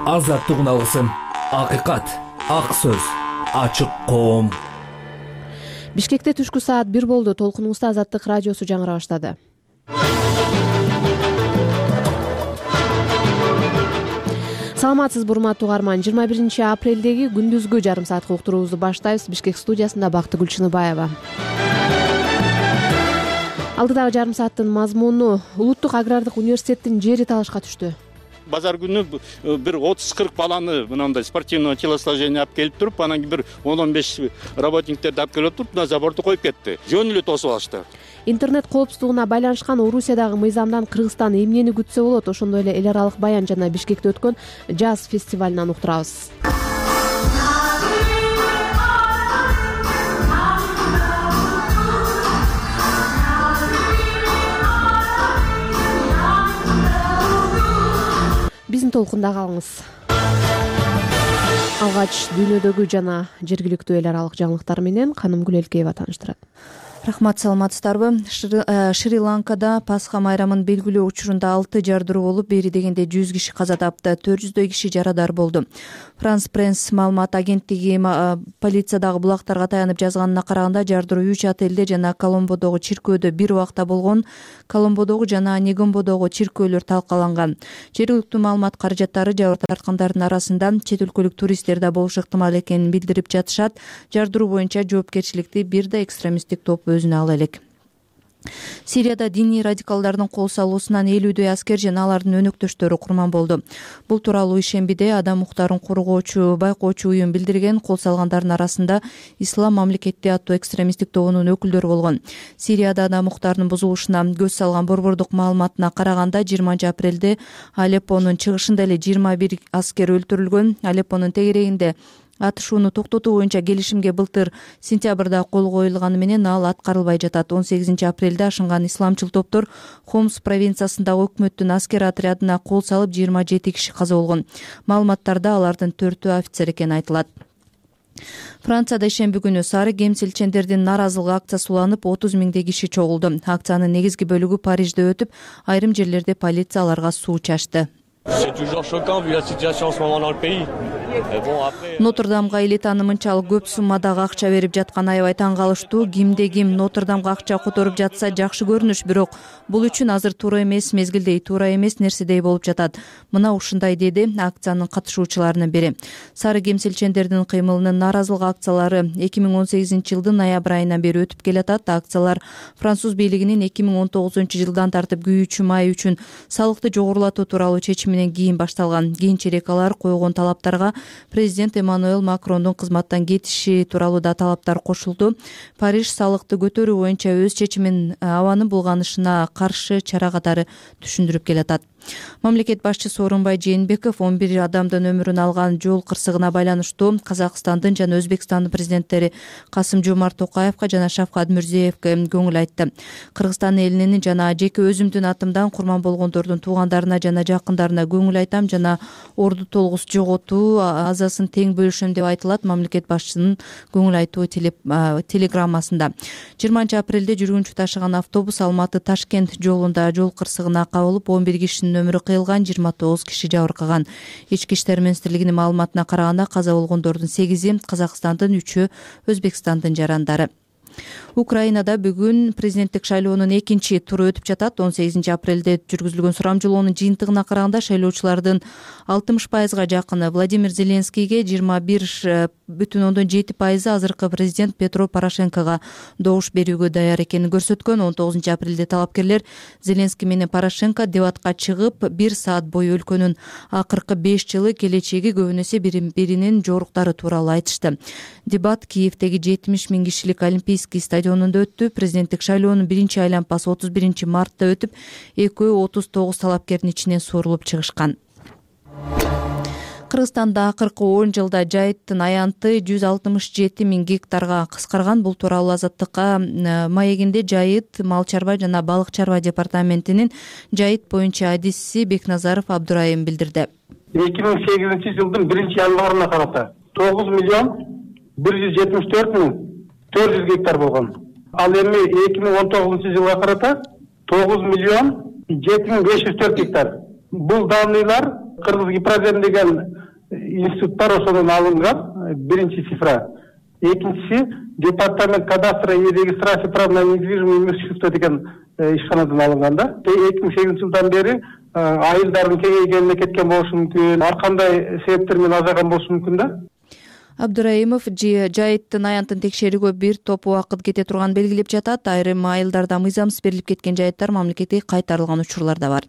Азаттыгын алгысың. Акыйкат, ак сөз, ачык коом. Бишкекте түшкү саат 1 болду. Толкунуңузда Азаттык радиосу жаңыра баштады. Саламатсызбы урматтуу угарман. 21 апрелдеги күндүзгү жарым саатка уктуруубузду баштайбыз. Бишкек студиясында Бактыгүл Чыныбаева. Алдыдагы жарым сааттын мазмуну Улуттук агрардык университеттин жери талашка түштү. Базар күнү бир 30-40 баланы мындай спортивного телосложения алып келип туруп, анан кийин бир 10-15 работниктерди алып келип туруп, мына заборду коюп кетти. Жөн эле тосуп алышты. Интернет коопсуздугуна байланышкан Орусиядагы мыйзамдан Кыргызстан эмнени күтсө болот? Ошондой эле эл аралык баян жана Бишкекте өткөн жаз фестивалынан уктурабыз. Биздин толкунда калыңыз. Алгач дүйнөдөгү жана жергиликтүү эл аралык жаңылыктар менен Канымгүл Элкеева тааныштырат. Рахмат, саламатсыздарбы? Шри-Ланкада Пасха майрамын белгилөө учурунда 6 жардыруу болуп, бери дегенде 100 киши каза тапты, 400дөй киши жарадар болду. Франс Пресс маалымат агенттиги полициядагы булактарга таянып жазганына караганда, жардыруу 3 отелде жана Коломбодогу чиркөөдө бир убакта болгон. Коломбодогу жана Негомбодогу чиркөөлөр талкаланган. Жергиликтүү маалымат каражаттары жабыр тарткандардын арасында чет өлкөлүк туристтер да болушу ыктымал экенин билдирип жатышат. Жардыруу боюнча жоопкерчиликти бир да экстремисттик топ өзүнө ала элек. Сирияда диний радикалдардын кол салуусунан 50дөй аскер жана алардын өнөктөштөрү курман болду. Бул тууралуу ишембиде Адам укуктарын коргоочу байкоочу уюм билдирген. Кол салгандардын арасында Ислам мамлекети аттуу экстремисттик тобунун өкүлдөрү болгон. Сирияда адам укуктарынын бузулушуна көз салган борбордук маалыматына караганда, 20 апрелде Алеппонун чыгышында эле 21 аскер өлтүрүлгөн. Алеппонун тегерегинде атышууну токтотуу боюнча келишимге былтыр сентябрда кол коюлганы менен ал аткарылбай жатат. 18 апрелде ашынган исламчыл топтор Хомс провинциясындагы өкмөттүн аскер отрядына кол салып, 27 киши каза болгон. Маалыматтарда алардын 4-өө офицер экени айтылат. Францияда ишемби күнү сары кемсилчендердин нааразылык акциясы уланып, 30 миңдей киши чогулду. Акциянын негизги бөлүгү Парижде өтүп, айрым жерлерде полиция аларга суу чачты. Нотр-Дамга эли таанымынчалык көп суммадагы акча берип жаткан аябай таң калыштуу. Кимде ким Нотр-Дамга акча которуп жатса жакшы көрүнүш, бирок бул үчүн азыр туура эмес, мезгилдей туура эмес нерседей болуп жатат. Мына ушундай деди акциянын катышуучуларынын бири. Сары кемсилчендердин кыймылынын нааразылык акциялары 2018-жылдын ноябрь айынан бери өтүп келатат. Акциялар француз бийлигинин 2019-жылдан тартып күйүүчү май үчүн салыкты жогорулатуу тууралуу чечиминен кийин башталган. Кийинчерээк алар койгон талаптарга президент Эммануэл Макрондун кызматтан кетиши тууралуу да талаптар кошулду. Париж салыкты көтөрүү боюнча өз чечимин абанын булганышына каршы чара катары түшүндүрүп келатат. Мамлекет башчысы Орунбай Жээнбеков 11 адамдын өмүрүн алган жол кырсыгына байланыштуу Казакстандын жана Өзбекстандын президенттери Касым-Жомарт Токаевка жана Шавкат Мирзиевке көңүл айтты. Кыргызстан элинин жана жеке өзүмдүн атымдан курман болгондордун туугандарына жана жакындарына көңүл айтам жана орду толгус жоготуу азасын тең бөлүшөм деп айтылат мамлекет башчысынын көңүл айтуу телеграммасында. 20 апрелде жүргүнчү ташыган автобус Алматы-Ташкент жолунда жол кырсыгына кабылып, 11 кишинин өмүрү кыйылган, 29 киши жабыркаган. Ички иштер министрлигинин маалыматына караганда, каза болгондордун 8-и Казакстандын, 3-ü Өзбекстандын жарандары. Украинада бүгүн президенттик шайлоонун экинчи туру өтүп жатат. 18 апрелде жүргүзүлгөн сурамжылоонун жыйынтыгына караганда, шайлоочулардын 60%га жакыны Владимир Зеленскийге, 21,7% азыркы президент Петро Порошенкого добуш берүүгө даяр экенин көрсөткөн. 19 апрелде талапкерлер Зеленский менен Порошенко дебатка чыгып, 1 саат бою өлкөнүн акыркы 5 жылы келечеги көбүнөсө биринин жоруктары тууралуу айтышты. Дебат Киевдеги 70 000 кишилик Олимпийский стадионунда өттү. Президенттик шайлоонун биринчи айланпасы 31 мартта өтүп, экөө 39 талапкердин ичинен суурулуп чыгышкан. Кыргызстанда акыркы 10 жылда жайыттын аянты 167 000 гектарга кыскарган. Бул тууралуу Азаттыкка маегинде жайыт, мал чарба жана балык чарба департаментинин жайыт боюнча адиси Бекназаров Абдурайым билдирди. 2008-жылдын 1-январына карата 9,174,400 гектар болгон. Ал эми 2019-жылга карата 9,7,504 гектар. Бул данныйлар Кыргыз Гипрозем деген институттар ошодон алынган, биринчи цифра. Экинчиси департамент кадастра и регистрации прав на недвижимое имущество деген ишканадан алынган да. 2008 жылдан бери айылдардын кеңейгенине кеткен болушу мүмкүн, ар кандай себептер менен азайган болушу мүмкүн да. Абдыраимов жайыттын аянтын текшерүүгө бир топ убакыт кете турганын белгилеп жатат. Айрым айылдарда мыйзамсыз берилип кеткен жайыттар мамлекетке кайтарылган учурлар да бар.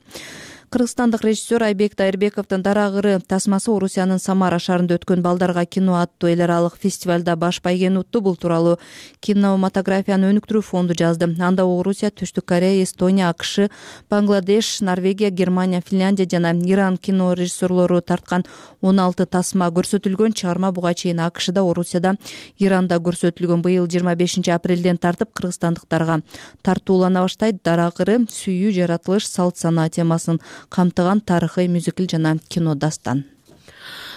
Кыргызстандык режиссер Айбек Дайырбековдун Дарагыры тасмасы Орусиянын Самара шаарында өткөн Балдарга кино аттуу эл аралык фестивалда баш байгени утту. Бул тууралуу кинематографияны өнүктүрүү фонду жазды. Анда Орусия, Түштүк Корея, Эстония, АКШ, Бангладеш, Норвегия, Германия, Финляндия жана Иран кино режиссерлору тарткан 16 тасма көрсөтүлгөн. Чыгарма буга чейин АКШда, Орусияда, Иранда көрсөтүлгөн. Быйыл 25 апрелден тартып кыргызстандыктарга тартуулана баштайт. Дарагыры сүйүү, жаратылыш, салт санаа темасын камтыган тарыхый мюзикл жана кино дастан.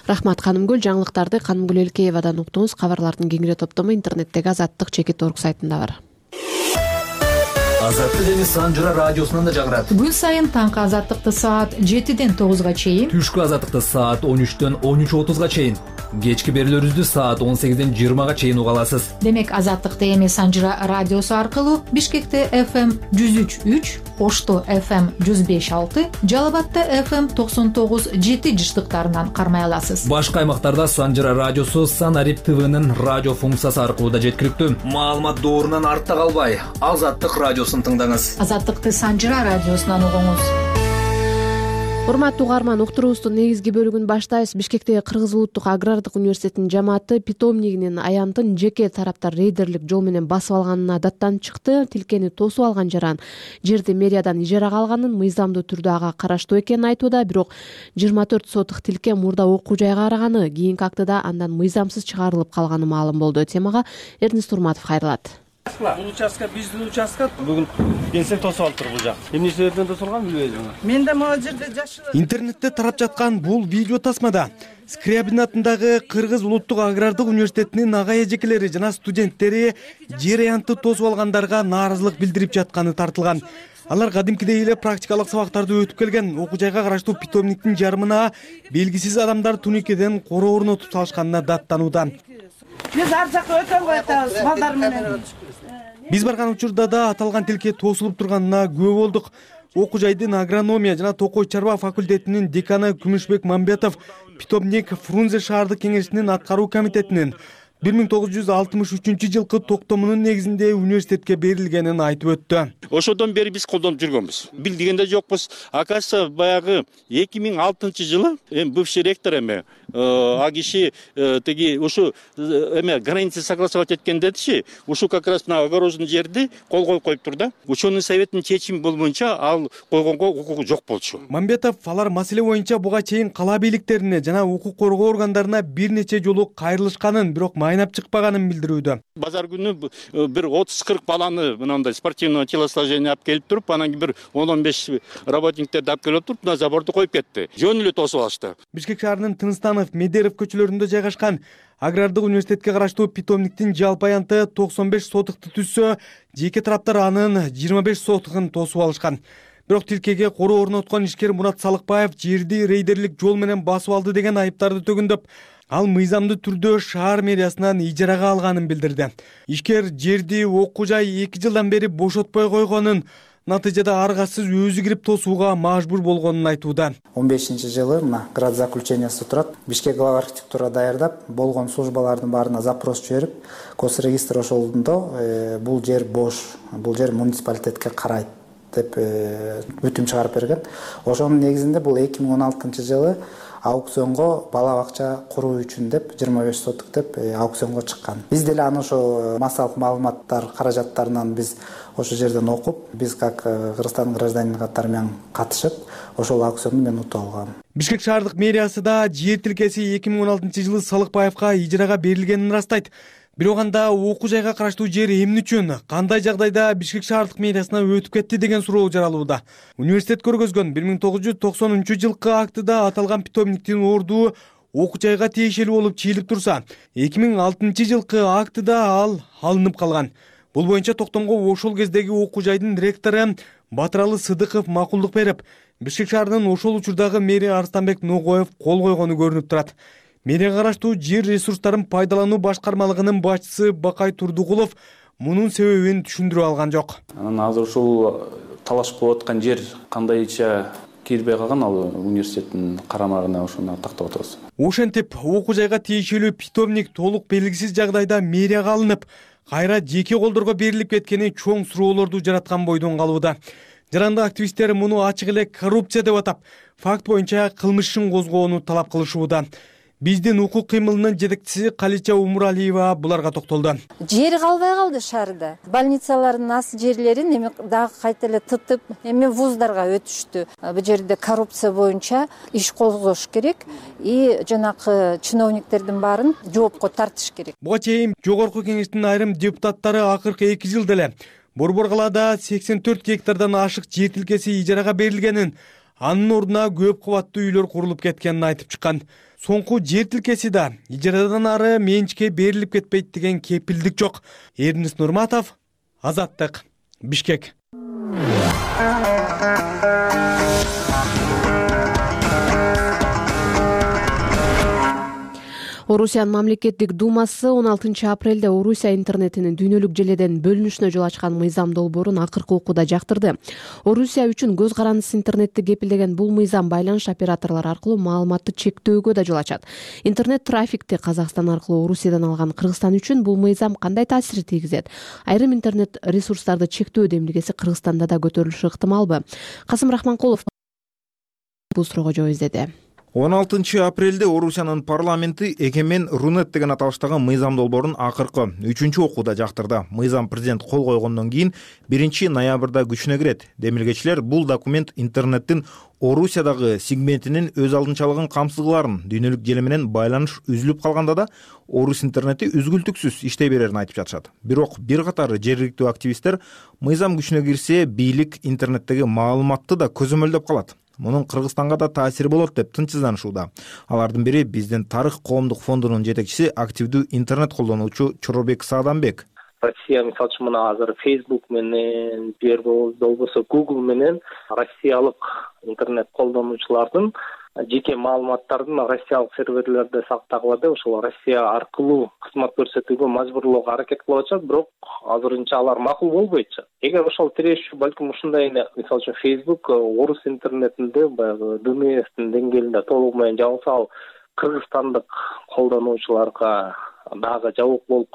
Рахмат Канымгүл. Жаңылыктарды Канымгүл Элкеевадан уктуңуз. Кабарлардын кеңири топтому интернеттеги azаттык.org сайтында бар. Азаттык жана Санжыра радиосунан да жагырат. Күн сайын таңкы азаттыкты саат 7ден 9га чейин, Түшкү азаттыкты саат 13дөн 13:30га чейин, кечки берүүлөрүбүздү саат 18ден 20га чейин уга аласыз. демек азаттыкты эми Санжыра радиосу аркылуу Бишкекте FM 103.3, Ошто FM 105.6, Жалал Абадта FM 99.7 жыштыктарынан кармай аласыз. Башка аймактарда Санжыра радиосу Санарип ТВнын радио функциясы аркылуу да жеткиликтүү. Маалымат доорунан артта калбай, Азаттык радиосун тыңдаңыз. Азаттыкты Санжыра радиосунан угуңуз. Урматтуу угарман, уктуруубуздун негизги бөлүгүн баштайбыз. Бишкектеги Кыргыз Улуттук агрардык университетинин жамааты питомнигинин аянтын жеке тараптар рейдерлик жол менен басып алганына даттанып чыкты. Тилкени тосуп алган жаран жерди мэриядан ижарага алганын, мыйзамдуу түрдө ага караштуу экенин айтууда. Бирок 24 сотук тилке мурда окуу жайга караганы, кийинки актыда андан мыйзамсыз чыгарылып калганы маалым болду. Темага Эрнест Турматов кайрылат. Бул участка биздин участка бүгүн келсек тосуп алыптыр бул жак. Эмне себептен тосулган билбейм. Мен да могу жерде жашылып. Интернетте тарап жаткан бул видео тасмада Скрябин атындагы Кыргыз Улуттук агрардык университетинин ага эжекелери жана студенттери жер аянтты тосуп алгандарга нааразылык билдирип жатканы тартылган. Алар кадимкидей эле практикалык сабактарды өтүп келген. Окуу жайга караштуу питомниктин жарымына белгисиз адамдар туникеден короо орнотуп салышканына даттанууда. Биз ар жакка өтө албай атабыз балдар менен. Биз барган учурда да аталган тилке тосулуп турганына күбө болдук. Окуу жайдын агрономия жана токой чарба факультетинин деканы Күмүшбек Мамбетов питомник Фрунзе шаардык кеңешинин аткаруу комитетинин 1963 жылкы токтомунун негизинде университетке берилгенин айтып өттү. Ошодон бери биз колдонуп жүргөнбүз. Билдиген да жокпуз. Оказывается, баягы 2006 жылы бывший ректор а киши теги ушу границы согласовать эткен дедичи, ушу как раз на огороженный жерди кол коюптур да. Ученый советтин чечими болбойнча ал койгонго укугу жок болчу. Мамбетов алар маселе боюнча буга чейин кала бийликтерине жана укук коргоо органдарына бир нече жолу кайрылышканын, бирок майнап чыкпаганын билдирүүдө. Базар күнү бир 30-40 баланы мындай спортивного телосложения алып келип туруп, анан бир 10-15 работниктерди алып келип туруп, на заборду коюп кетти. Жөн эле тосуп алышты. Бишкек шаарынын Тынстанов, Медеров көчөлөрүндө жайгашкан агрардык университетке караштуу питомниктин жалпы аянты 95 сотукты түзсө, жеке тараптар анын 25 сотугун тосуп алышкан. Бирок тилкеге короо орноткон ишкер Мурат Салыкбаев жерди рейдерлик жол менен басып алды деген айыптарды төгүндөп, ал мыйзамдуу түрдө шаар мэриясынан ижарага алганын билдирди. Ишкер жерди окуу жай 2 жылдан бери бошотпой койгонун, натыйжада аргасыз өзү кирип тосууга мажбур болгонун айтууда. 15-жылы мына град заключениясы турат. Бишкек глава архитектура даярдап, болгон службалардын баарына запрос жиберип, госрегистр ошолдо бул жер бош, бул жер муниципалитетке карайт деп өтүм чыгарып берген. Ошонун негизинде бул 2016 жылы аукционго бала бакча куруу үчүн деп 25 сотук деп аукционго чыккан. Биз деле аны ошо массалык маалыматтар каражаттарынан биз ошо жерден окуп, биз как Кыргызстандын гражданин катары менен катышып, ошол аукционду мен утуп алгам. Бишкек шаардык мэриясы да жер тилкеси 2016 жылы Салыкбаевка ижарага берилгенин ырастайт. Бирок анда окуу жайга караштуу жер эмне үчүн, кандай жагдайда Бишкек шаардык мэриясына өтүп кетти деген суроо жаралууда. Университет көргөзгөн 1990 жылкы актыда аталган питомниктин орду окуу жайга тиешелүү болуп чыйылып турса, 2006 жылкы актыда ал алынып калган. Бул боюнча токтомго ошол кездеги окуу жайдын ректору Батыралы Сыдыков макулдук берип, Бишкек шаарынын ошол учурдагы мэри Арстанбек Ногоев кол койгону көрүнүп турат. Медиага караштуу жер ресурстарын пайдалануу башкармалыгынын башчысы Бакай Турдугулов мунун себебин түшүндүрө алган жок. Анан азыр ушул талаш кылып аткан жер кандайча кирбей калган, ал университеттин карамагына ошону тактап атабыз. Ошентип окуу жайга тиешелүү питомник толук белгисиз жагдайда мэрияга алынып, кайра жеке колдорго берилип кеткени чоң суроолорду жараткан бойдон калууда. Жарандык активисттер муну ачык эле коррупция деп атап, факт боюнча кылмыш ишин козгоону талап кылышууда. Биздин укук кыймылынын жетекчиси Калича Умуралиева буларга токтолду. Жер калбай калды шаарда. Больницалардын ас жерлерин эми дагы кайта эле тытып, эми вуздарга өтүштү. Бул жерде коррупция боюнча иш козгош керек и жанакы чиновниктердин баарын жоопко тартыш керек. Буга чейин Жогорку Кеңештин айрым депутаттары акыркы 2 жылда эле Борбор калаада 84 гектардан ашык жер тилкеси ижарага берилгенин, анын ордуна көп кабаттуу үйлөр курулуп кеткенин айтып чыккан. Соңку жер тилкеси да ижарадан ары менчикке берилип кетпейт деген кепилдик жок. Эрнис Нурматов, Азаттык, Бишкек. Орусиянын мамлекеттик думасы 16 апрелде Орусия интернетинин дүйнөлүк желеден бөлүнүшүнө жол ачкан мыйзам долбоорун акыркы окууда жактырды. Орусия үчүн көз карандысыз интернетти кепилдеген бул мыйзам байланыш операторлору аркылуу маалыматты чектөөгө да жол ачат. Интернет трафикти Казакстан аркылуу Орусиядан алган Кыргызстан үчүн бул мыйзам кандай таасир тийгизет? Айрым интернет ресурстарды чектөө демилгеси Кыргызстанда да көтөрүлүшү ыктымалбы? Касым Рахманкулов бул суроого жооп издеди. 16 апрелде Орусиянын парламенти Экемен Рунет деген аталыштагы мыйзам долбоорун акыркы 3-чү окууда жактырды. Мыйзам президент кол койгондон кийин 1 ноябрда күчүнө кирет. Демилгечилер бул документ интернеттин Орусиядагы сегментинин өз алдынчалыгын камсызгыларын, дүйнөлүк желе менен байланыш үзүлүп калганда да орус интернети үзгүлтүксүз иштей берерин айтып жатышат. Бирок бир катар жергиликтүү активисттер мыйзам күчүнө кирсе, бийлик интернеттеги маалыматты да көзөмөлдөп калат. Мунун Кыргызстанга да таасири болот деп тынчсызданышууда. Алардын бири биздин Тарых коомдук фондунун жетекчиси, активдүү интернет колдонуучу Чоробек Саадамбек. Россия мисалы үчүн мына азыр Facebook менен, болбосо Google менен россиялык интернет колдонуучулардын жеке маалыматтарын россиялык серверлерде сактагыла деп ошол Россия аркылуу кызмат көрсөтүүгө мажбурлоого аракет кылып атышат, бирок азырынча алар макул болбой атышат. Эгер ошол тирешүү балким ушундай мисалы үчүн Facebook орус интернетинде баягы ДНСтин деңгээлинде толугу менен жабылса, ал кыргызстандык колдонуучуларга дагы жабык болуп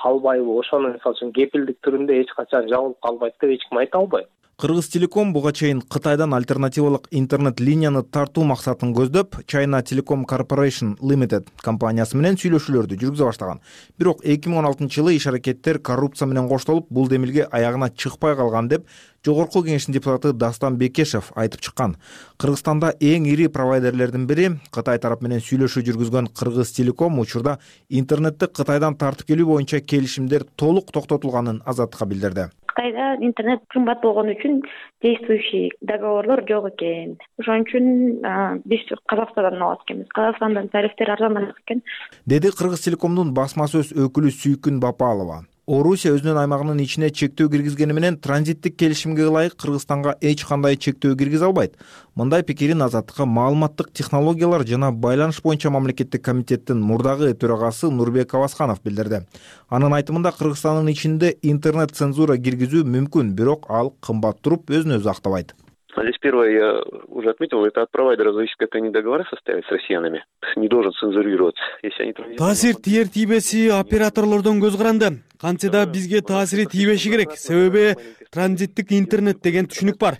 калбайбы, ошону мисалы үчүн кепилдик түрүндө эч качан жабылып калбайт деп эч ким айта албайт. Кыргыз Телеком буга чейин Кытайдан альтернативалык интернет линияны тартуу максатын көздөп, China Telecom Corporation Limited компаниясы менен сүйлөшүүлөрдү жүргүзө баштаган. Бирок 2016 жылы иш-аракеттер коррупция менен коштолуп, бул демилге аягына чыкпай калган деп Жогорку Кеңештин депутаты Дастан Бекешев айтып чыккан. Кыргызстанда эң ири провайдерлердин бири, Кытай тарап менен сүйлөшүү жүргүзгөн Кыргыз Телеком учурда интернетти Кытайдан тартып келүү боюнча келишимдер толук токтотулганын Азаттыкка билдирди. Кытайда интернет кымбат болгон үчүн действующий договорлор жок экен. Ошон үчүн биз Казакстандан алат экенбиз. Казакстандын тарифтери арзаныраак экен, деди Кыргыз Телекомдун басма сөз өкүлү Сүйкүн Бапалова. Орусия өзүнүн аймагынын ичине чектөө киргизгени менен транзиттик келишимге ылайык Кыргызстанга эч кандай чектөө киргизе албайт. Мындай пикирин Азаттыкка маалыматтык технологиялар жана байланыш боюнча мамлекеттик комитеттин мурдагы төрагасы Нурбек Авасканов билдирди. Анын айтымында Кыргызстандын ичинде интернет цензура киргизүү мүмкүн, бирок ал кымбат туруп өзүн өзү актабайт. Здесь первое, я уже отметил, это от провайдера зависит, как они договора составят с россиянами. Не должен цензурироваться. Если они таасир тиер тийбеси операторлордон көз каранды. Кантсе да бизге таасири тийбеши керек. Себеби транзиттик интернет деген түшүнүк бар.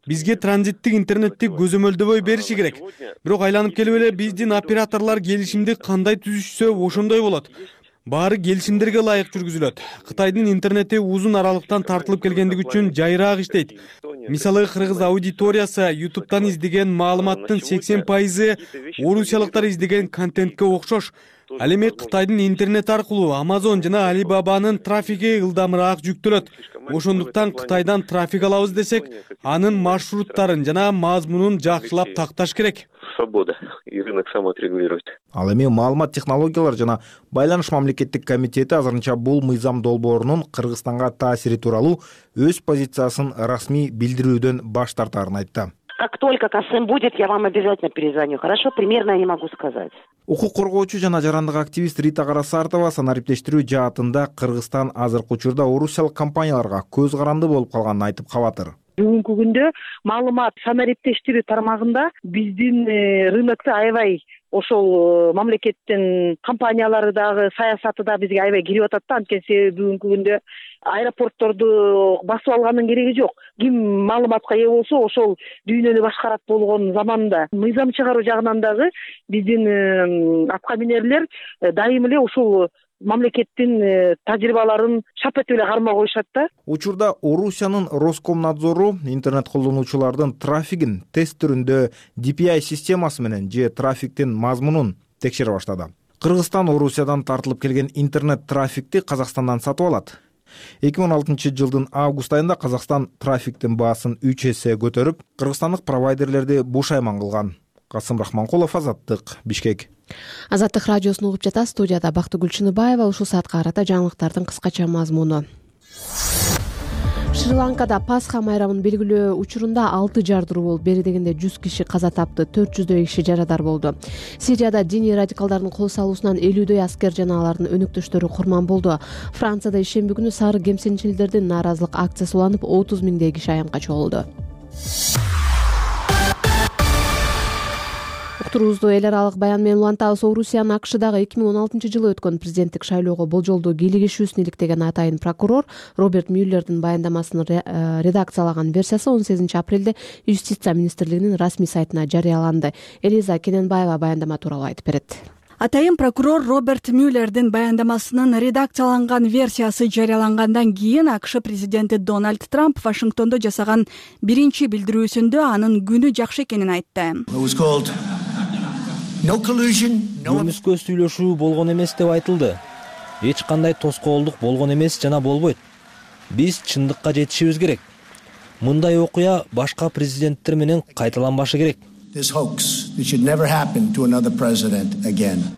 Бизге транзиттик интернетти көзөмөлдөбөй бериши керек. Бирок айланып келип эле биздин операторлор келишимди кандай түзүшсө ошондой болот. Баары келишимдерге ылайык жүргүзүлөт. Кытайдын интернети узун аралыктан тартылып келгендиги үчүн жайыраак иштейт. Мисалы, кыргыз аудиториясы YouTube'дан издеген маалыматтын 80% орусиялыктар издеген контентке окшош. Ал эми Кытайдын интернет аркылуу Amazon жана Alibaba'нын трафиги ылдамыраак жүктөлөт. Ошондуктан Кытайдан трафик алабыз десек, анын маршруттарын жана мазмунун жакшылап такташ керек. Свобода и рынок сам отрегулирует. Ал эми маалымат технологиялар жана байланыш мамлекеттик комитети азырынча бул мыйзам долбоорунун Кыргызстанга таасири тууралуу өз позициясын расмий билдирүүдөн баш тартарын айтты. Как только КСМ будет, я вам обязательно перезвоню. Хорошо? Примерно я не могу сказать. Укук коргоочу жана жарандык активист Рита Карасартова санариптештирүү жаатында Кыргызстан азыркы учурда орусиялык компанияларга көз каранды болуп калганын айтып кабатыр. Бүгүнкү күндө маалымат санариптештирүү тармагында биздин рынокто аябай ошол мамлекеттин компаниялары дагы саясаты да бизге аябай кирип атат да. Анткени бүгүнкү күндө аэропортторду басып алгандын кереги жок. Ким маалыматка ээ болсо ошол дүйнөнү башкарат болгон заманда мыйзам чыгаруу жагынан дагы биздин атка минерлер дайым эле ушул мамлекеттин тажрыйбаларын шап этип эле кармап коюшат да. Учурда Орусиянын Роскомнадзору интернет колдонуучулардын трафигин тест түрүндө DPI системасы менен же трафиктин мазмунун текшере баштады. Кыргызстан Орусиядан тартылып келген интернет трафикти Казакстандан сатып алат. 2016-жылдын август айында Казакстан трафиктин баасын 3 эсе көтөрүп, кыргызстандык провайдерлерди бушайман кылган. Касым Рахманкулов, Азаттык, Бишкек. Азаттык радиосун угуп жатасыз. Студияда Бактыгүл Чыныбаева. Ушул саатка карата жаңылыктардын кыскача мазмуну. Шри-Ланкада Пасха майрамын белгилөө учурунда 6 жардыруу болуп, бери дегенде 100 киши каза тапты, 400дөй киши жарадар болду. Сирияда диний радикалдардын кол салуусунан 50дөй аскер жана алардын өнөктөштөрү курман болду. Францияда ишемби күнү сары кемсинчилдердин нааразылык акциясы уланып, 30 миңдей киши аянтка чогулду. Уктуруубузду эл аралык баян менен улантабыз. Орусиянын АКШдагы 2016-жылы өткөн президенттик шайлоого болжолдуу кийлигишүүсүн иликтеген атайын прокурор Роберт Мюллердин баяндамасын редакциялаган версиясы 18 апрелде Юстиция министрлигинин расмий сайтына жарыяланды. Элиза Кененбаева баяндама тууралуу айтып берет. Атайын прокурор Роберт Мюллердин баяндамасынын редакцияланган версиясы жарыялангандан кийин АКШ президенти Дональд Трамп Вашингтондо жасаган биринчи билдирүүсүндө анын күнү жакшы экенин айтты. Көмүскө сүйлөшүү болгон эмес деп айтылды. Эч кандай тоскоолдук болгон эмес жана болбойт. Биз чындыкка жетишибиз керек. Мындай окуя башка президенттер менен кайталанбашы керек.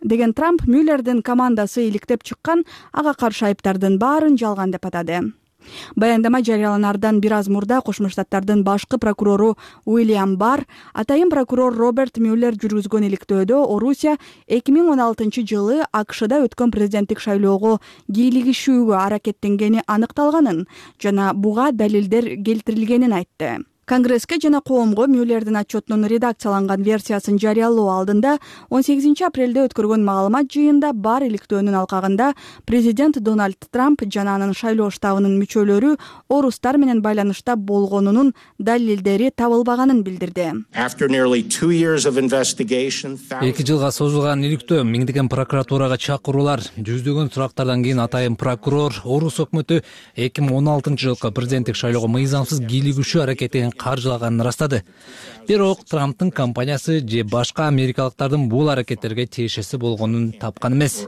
Деген Трамп Мюллердин командасы иликтеп чыккан ага каршы айыптардын баарын жалган деп атады. Баяндама жарыяланардан бир аз мурда Кошмо Штаттардын башкы прокурору Уильям Барр атайын прокурор Роберт Мюллер жүргүзгөн иликтөөдө Орусия 2016-жылы АКШда өткөн президенттик шайлоого кийлигишүүгө аракеттенгени аныкталганын жана буга далилдер келтирилгенин айтты. Конгресске жана коомго Мюллердин отчетунун редакцияланган версиясын жарыялоо алдында 18 апрелде өткөргөн маалымат жыйында бар иликтөөнүн алкагында президент Дональд Трамп жана анын шайлоо штабынын мүчөлөрү орустар менен байланышта болгонунун далилдери табылбаганын билдирди. 2 жылга созулган иликтөө, миңдеген прокуратурага чакыруулар, жүздөгөн сурактардан кийин атайын прокурор орус өкмөтү 2016-жылкы президенттик шайлоого мыйзамсыз кийлигишүү аракетин каржылаганын ырастады. Бирок Трамптын компаниясы же башка америкалыктардын бул аракеттерге тиешеси болгонун тапкан эмес.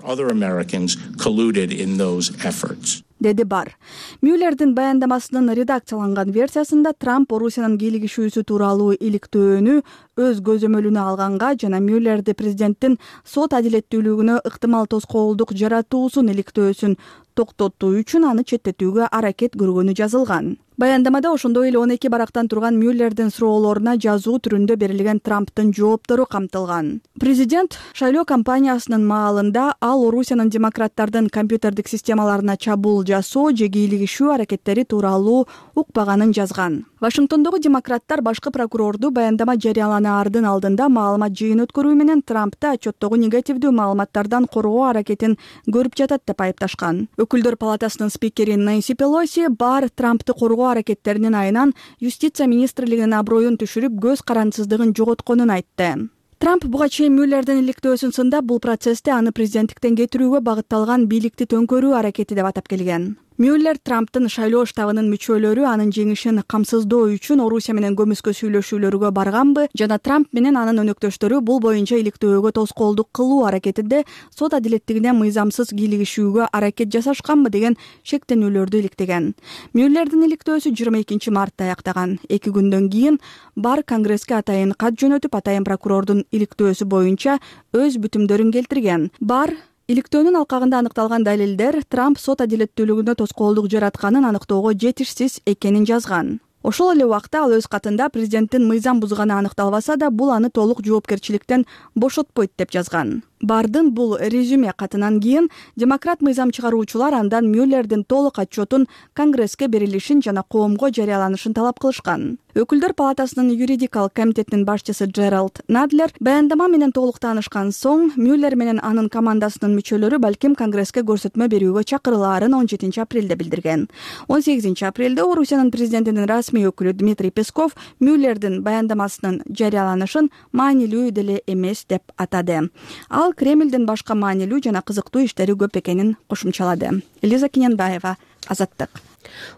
Деди Бар. Мюллердин баяндамасынын редакцияланган версиясында Трамп Орусиянын кийлигишүүсү тууралуу иликтөөнү өз көзөмөлүнө алганга жана Мюллерди президенттин сот адилеттүүлүгүнө ыктымал тоскоолдук жаратуусун иликтөөсүн токтотуу үчүн аны четтетүүгө аракет көргөнү жазылган. Баяндамада ошондой эле 12 барактан турган Мюллердин суроолоруна жазуу түрүндө берилген Трамптын жооптору камтылган. Президент шайлоо кампаниясынын маалында ал Орусиянын демократтардын компьютердик системаларына чабуул жасоо же кийлигишүү аракеттери тууралуу укпаганын жазган. Вашингтондогу демократтар башкы прокурорду баяндама жарыяланаардын алдында маалымат жыйын өткөрүү менен Трампты отчеттогу негативдүү маалыматтардан коргоо аракетин көрүп жатат деп айыпташкан. Өкүлдөр палатасынын спикери Нэнси Пелоси бар Трампты коргоо аракеттеринин айынан Юстиция министрлигинин аброюн түшүрүп, көз карандысыздыгын жоготконун айтты. Трамп буга чейин Мюллердин иликтөөсүн сындап, бул процессте аны президенттиктен кетирүүгө багытталган бийликти төңкөрүү аракети деп атап келген. Мюллер Трамптын шайлоо штабынын мүчөлөрү анын жеңишин камсыздоо үчүн Орусия менен көмүскө сүйлөшүүлөргө барганбы жана Трамп менен анын өнөктөштөрү бул боюнча иликтөөгө тоскоолдук кылуу аракетинде сот адилеттигине мыйзамсыз кийлигишүүгө аракет жасашканбы деген шектенүүлөрдү иликтеген. Мюллердин иликтөөсү 22 мартта аяктаган. 2 күндөн кийин бар Конгресске атайын кат жөнөтүп, атайын прокурордун иликтөөсү боюнча өз бүтүмдөрүн келтирген. Бар иликтөөнүн алкагында аныкталган далилдер Трамп сот адилеттүүлүгүнө тоскоолдук жаратканын аныктоого жетишсиз экенин жазган. Ошол эле убакта ал өз катында президенттин мыйзам бузганы аныкталбаса да, бул аны толук жоопкерчиликтен бошотпойт деп жазган. Бардын бул резюме катынан кийин демократ мыйзам чыгаруучулар андан Мюллердин толук отчетун Конгресске берилишин жана коомго жарыяланышын талап кылышкан. Өкүлдөр палатасынын юридикалык комитетинин башчысы Джеральд Надлер баяндама менен толук таанышкан соң Мюллер менен анын командасынын мүчөлөрү балким Конгресске көрсөтмө берүүгө чакырылаарын 17 апрелде билдирген. 18 апрелде Орусиянын президентинин расмий өкүлү Дмитрий Песков Мюллердин баяндамасынын жарыяланышын маанилүү деле эмес деп атады. Ал Кремлдин башка маанилүү жана кызыктуу иштери көп экенин кошумчалады. Элиза Кененбаева, Азаттык.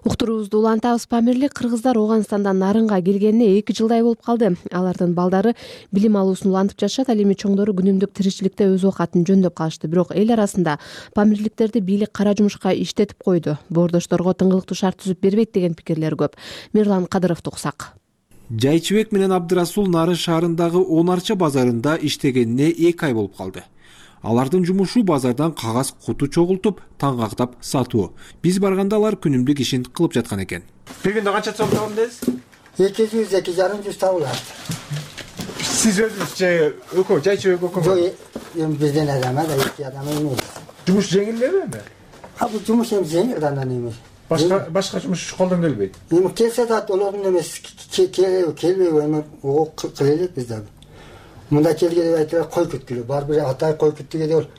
Уктуруубузду улантабыз. Памирлик кыргыздар Ооганстандан Нарынга келгенине 2 жылдай болуп калды. Алардын балдары билим алуусун улантып жатышат. Ал эми чоңдору күнүмдүк тиричиликте өз оокатын жөндөп калышты. Бирок эл арасында памирликтерди бийлик кара жумушка иштетип койду. Боордошторго тыңгылыктуу шарт түзүп бербейт деген пикирлер көп. Мирлан Кадыровду уксак. Жайчыбек менен Абдырасул Нарын шаарындагы Онарча базарында иштегенине 2 ай болуп калды. Алардын жумушу базардан кагаз куту чогултуп, таңгактап сатуу. Биз барганда алар күнүмдүк ишин кылып жаткан экен. Бир күндө канча сом табам дейсиз? 200-250 табылат. Сиз өзүңүз же өкө, Жайчыбек өкө? Жок, бизден адам да, 2 адам эмес. Жумуш жеңил элеби? Бул жумуш эми жеңил андан эмес. Башка жумуш колдон келбейт. Эми келсе да олордун эмес, келбейби эми ого кыла элек биз дагы. Мында келгенде айтылар кой күткүлө. Бар бир атай кой күттүгө деп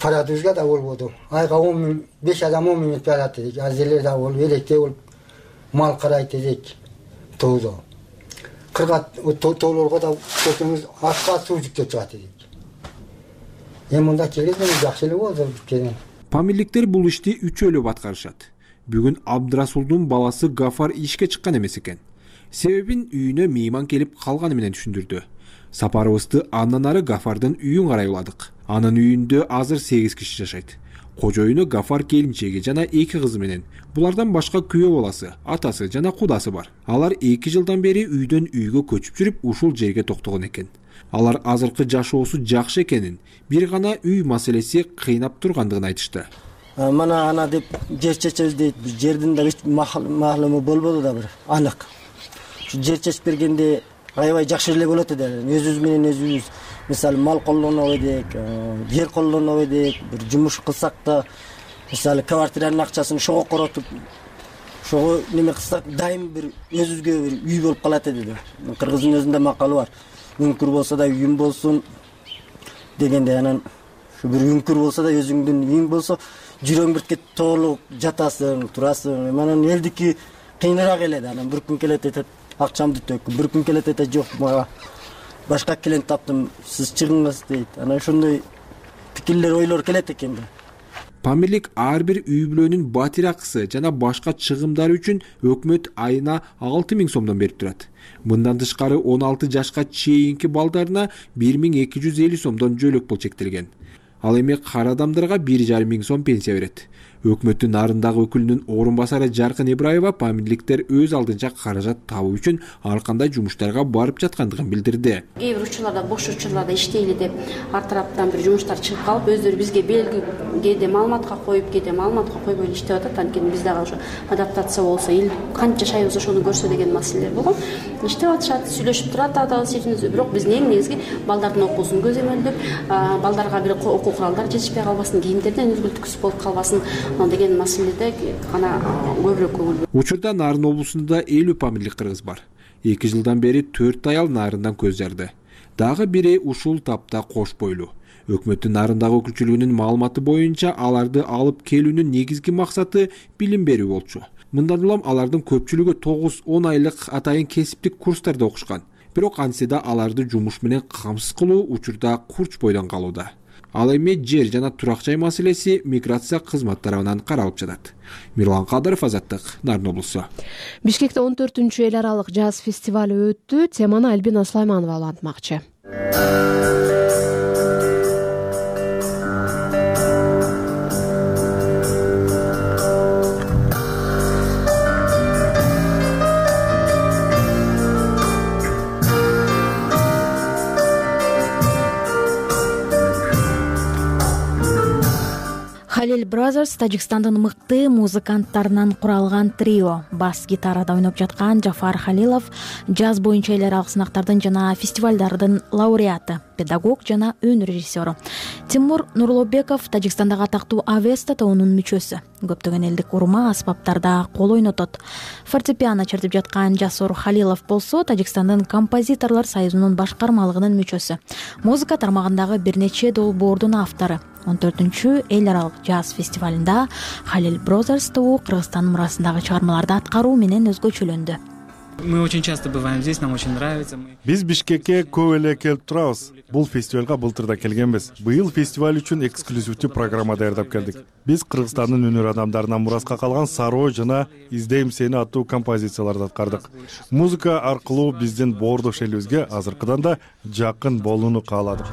парадузга да болбоду. Айга 10 миң, 5 адам 10 миң парат дейт. Азерлер да болуп, электе болуп мал карайт дейт. Тоодо. Кыргат тоолорго да көтөңүз атка суу жүктөп чыгат дейт. Эми мында келгенде жакшы эле болду биткенен. Памирликтер бул ишти үчөөлөп аткарышат. Бүгүн Абдырасулдун баласы Гафар ишке чыккан эмес экен. Себебин үйүнө мейман келип калганы менен түшүндүрдү. Сапарыбызды андан ары Гафардын үйүн карай уладык. Анын үйүндө азыр 8 киши жашайт. Кожоюну Гафар келинчеги жана 2 кызы менен. Булардан башка күйөө баласы, атасы жана кудасы бар. Алар 2 жылдан бери үйдөн үйгө көчүп жүрүп, ушул жерге токтогон экен. Алар азыркы жашоосу жакшы экенин, бир гана үй маселеси кыйнап тургандыгын айтышты. Мана ана деп жер чечебиз дейт. Жердин да маалымы болбоду да бир анык. Жер чечип бергенде аябай жакшы эле болот эди. Өзүбүз менен өзүбүз мисалы мал колдонобу эдик, жер колдонобу эдик, бир жумуш кылсак да мисалы квартиранын акчасын шого коротуп, шого неме кылсак дайым бир өзүбүзгө бир үй болуп калат эди. Кыргыздын өзүндө макалы бар. Үңкүр болсо да үйүм болсун дегенде анан ушу бир үңкүр болсо да өзүңдүн үйүң болсо жүрөң биртке толук жатасың, турасың. Анан элдики кыйыныраак келет. Анан бир күн келет этет акчамды төк, бир күн келет этет жок, мага башка клиент таптым, сиз чыгыңыз дейт. Анан ошондой пикирлер, ойлор келет экен да. Памирлик ар бир үй бүлөнүн батир акысы жана башка чыгымдары үчүн өкмөт айына 6 миң сомдон берип турат. Мындан тышкары 16 жашка чейинки балдарына 1250 сомдон жөлөк пул чектелген. Ал эми кара адамдарга 1,5 миң сом пенсия берет. Өкмөттүн Нарындагы өкүлүнүн орун басары Жаркын Ибраева памирликтер өз алдынча каражат табуу үчүн ар кандай жумуштарга барып жаткандыгын билдирди. Кээ бир учурларда бош учурларда иштейли деп ар тараптан бир жумуштар чыгып калып, өздөрү бизге белги кээде маалыматка коюп, кээде маалыматка койбой иштеп атат. Анткени биз дагы ошо адаптация болсо, эл канча жашайбыз ошону көрсө деген маселелер болгон. Иштеп атышат, сүйлөшүп турат адал-сиринде, бирок биздин эң негизги балдардын окуусун көзөмөлдөп, балдарга бир окуу куралдар жетишпей калбасын, кийимдерден үзгүлтүксүз болуп калбасын деген маселеде гана көбүрөөк көңүл. Учурда Нарын облусунда 50 памирлик кыргыз бар. 2 жылдан бери 4 аял Нарындан көз жарды. Дагы бири ушул тапта кош бойлуу. Өкмөттүн Нарындагы өкүлчүлүгүнүн маалыматы боюнча аларды алып келүүнүн негизги максаты билим берүү болчу. Мындан улам алардын көпчүлүгү 9-10 айлык атайын кесиптик курстарда окушкан. Бирок антсе да аларды жумуш менен камсыз кылуу учурда курч бойдон калууда. Ал эми жер жана турак жай маселеси миграция кызмат тарабынан каралып жатат. Мирлан Кадыров, Азаттык, Нарын облусу. Бишкекте 14-эл аралык жаз фестивали өттү. Теманы Альбина Сулайманова улантмакчы. Brothers Тажикстандын мыкты музыканттарынан куралган трио. Бас гитарада ойноп жаткан Жафар Халилов джаз боюнча эл аралык сынактардын жана фестивалдардын лауреаты, педагог жана өн режиссеру. Тимур Нурлобеков Тажикстандагы атактуу Авеста тобунун мүчөсү. Көптөгөн элдик урма аспаптарда кол ойнотот. Фортепиано чертип жаткан Жасур Халилов болсо Тажикстандын композиторлор союзунун башкармалыгынын мүчөсү. Музыка тармагындагы бир нече долбоордун автору. 14-чү эл аралык джаз фестивалында Халил Brothers тобу Кыргызстан мурасындагы чыгармаларды аткаруу менен өзгөчөлөндү. Мы очень часто бываем здесь, нам очень нравится. Биз Бишкекке көп эле келип турабыз. Бул фестивалга былтыр да келгенбиз. Быйыл фестиваль үчүн эксклюзивдүү программа даярдап келдик. Биз Кыргызстандын өнөр адамдарынан мураска калган Сароо жана Издейм сени аттуу композицияларды аткардык. Музыка аркылуу биздин боордош элибизге азыркыдан да жакын болууну кааладык.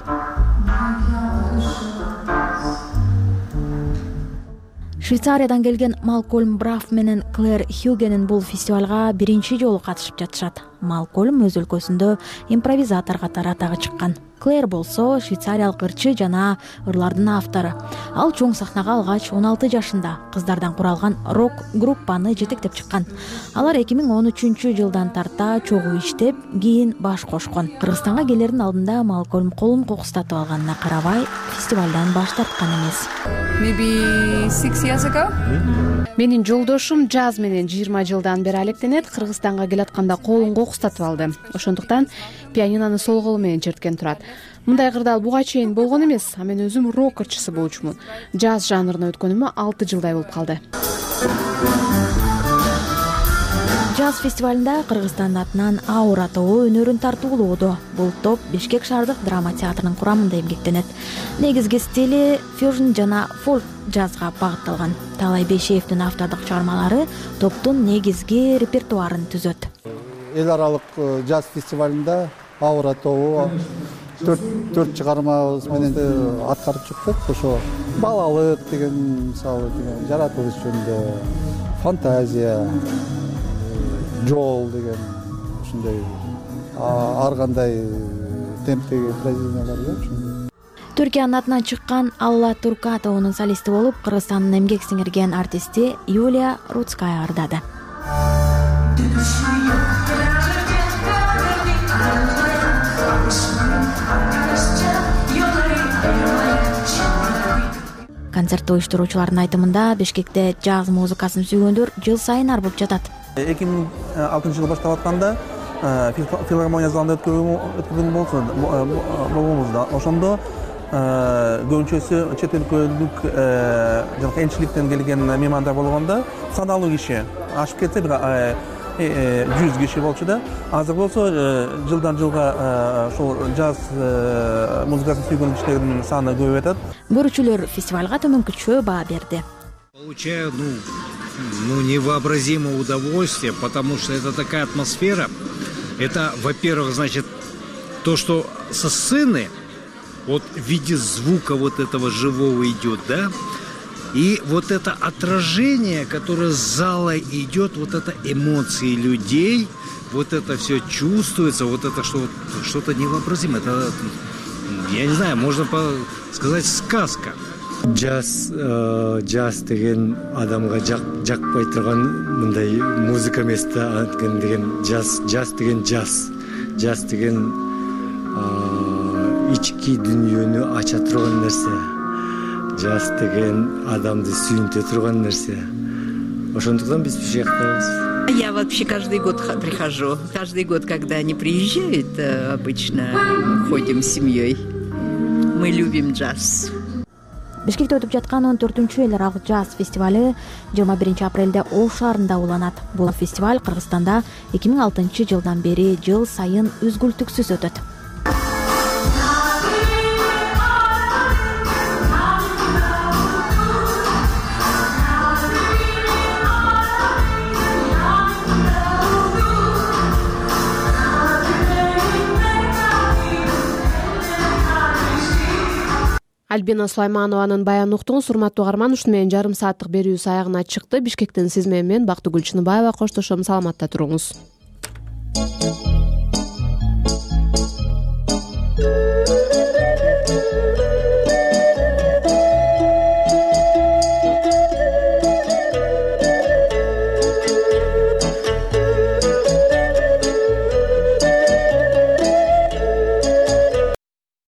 Швейцариядан келген Малкольм Браф менен Клэр Хюгенин бул фестивалга биринчи жолу катышып жатышат. Малкольм өз өлкөсүндө импровизатор катары атагы чыккан. Клэр болсо швейцариялык ырчы жана ырлардын автору. Ал чоң сахнага алгач 16 жашында кыздардан куралган рок группаны жетектеп чыккан. Алар 2013 жылдан тарта чогуу иштеп, кийин баш кошкон. Кыргызстанга келердин алдында Малкольм колун кокустатып алганына карабай, фестивалдан баш тарткан эмес. Maybe 6 years ago. Менин жолдошум джаз менен 20 жылдан бери алектенет. Кыргызстанга келатканда колун кокустатып алды. Ошондуктан пианинону сол колу менен черткен турат. Мындай кырдаал буга чейин болгон эмес. А мен өзүм рок ырчысы болчумун. Джаз жанрына өткөнүмө 6 жылдай болуп калды. Джаз фестивалында Кыргызстан атынан Аура тобу өнөрүн тартуулоодо. Бул топ Бишкек шаардык драма театрынын курамында эмгектенет. Негизги стили фьюжн жана фолк джазга багытталган. Талай Бейшеевдин автордук чыгармалары топтун негизги репертуарын түзөт. Эл аралык джаз фестивалында Аура тобу 4 чыгармабыз менен аткарып чыктык. Ошо балалык деген, мисалы, жаратылыш жөнүндө, фантазия, жол деген ушундай ар кандай темптеги произведениялар бар. Түркиянын атынан чыккан Алла Турка тобунун солисти болуп, Кыргызстандын эмгек сиңирген артисти Юлия Рудская ырдады. Концертти уюштуруучулардын айтымында Бишкекте джаз музыкасын сүйгөндөр жыл сайын арбып жатат. 2006 жылы баштап атканда филармония залында өткөргөн болобуз. Ошондо көбүнчөсү чет өлкөлүк жана энчиликтен келген меймандар болгондо саналуу киши, ашып кетсе бир 100 киши болчу да. Азыр болсо жылдан жылга ошол джаз музыкасын сүйгөн кишилердин саны көбөйүп атат. Көрүүчүлөр фестивалга төмөнкүчө баа берди. Получаю, невообразимое удовольствие, потому что это такая атмосфера. Это, во-первых, значит, то, что со сцены, вот в виде звука вот этого живого идет, да, и вот это отражение, которое с зала идет, вот это эмоции людей, вот это все чувствуется, вот это что-то невообразимое. Это, я не знаю, можно сказать, сказка. Джаз деген адамга жакпай турган мындай музыка эмес деген джаз деген джаз деген ички дүйнөнү ача турган нерсе. Джаз деген адамды сүйүнтө турган нерсе. Ошондуктан биз Бишкектебиз. Я вообще каждый год прихожу. Каждый год, когда они приезжают, обычно ходим с семьей. Мы любим джаз. Бишкекте өтүп жаткан 14-чү эл аралык джаз фестивалы 21 апрелде Ош шаарында уланат. Бул фестиваль Кыргызстанда 2006 жылдан бери жыл сайын үзгүлтүксүз өтөт. Альбина Сулайманованын баянын уктуңуз, урматтуу угарман. Ушуну менен жарым сааттык берүүбүз аягына чыкты. Бишкектен сиз менен Бактыгүл Чыныбаева коштошом. Саламатта туруңуз.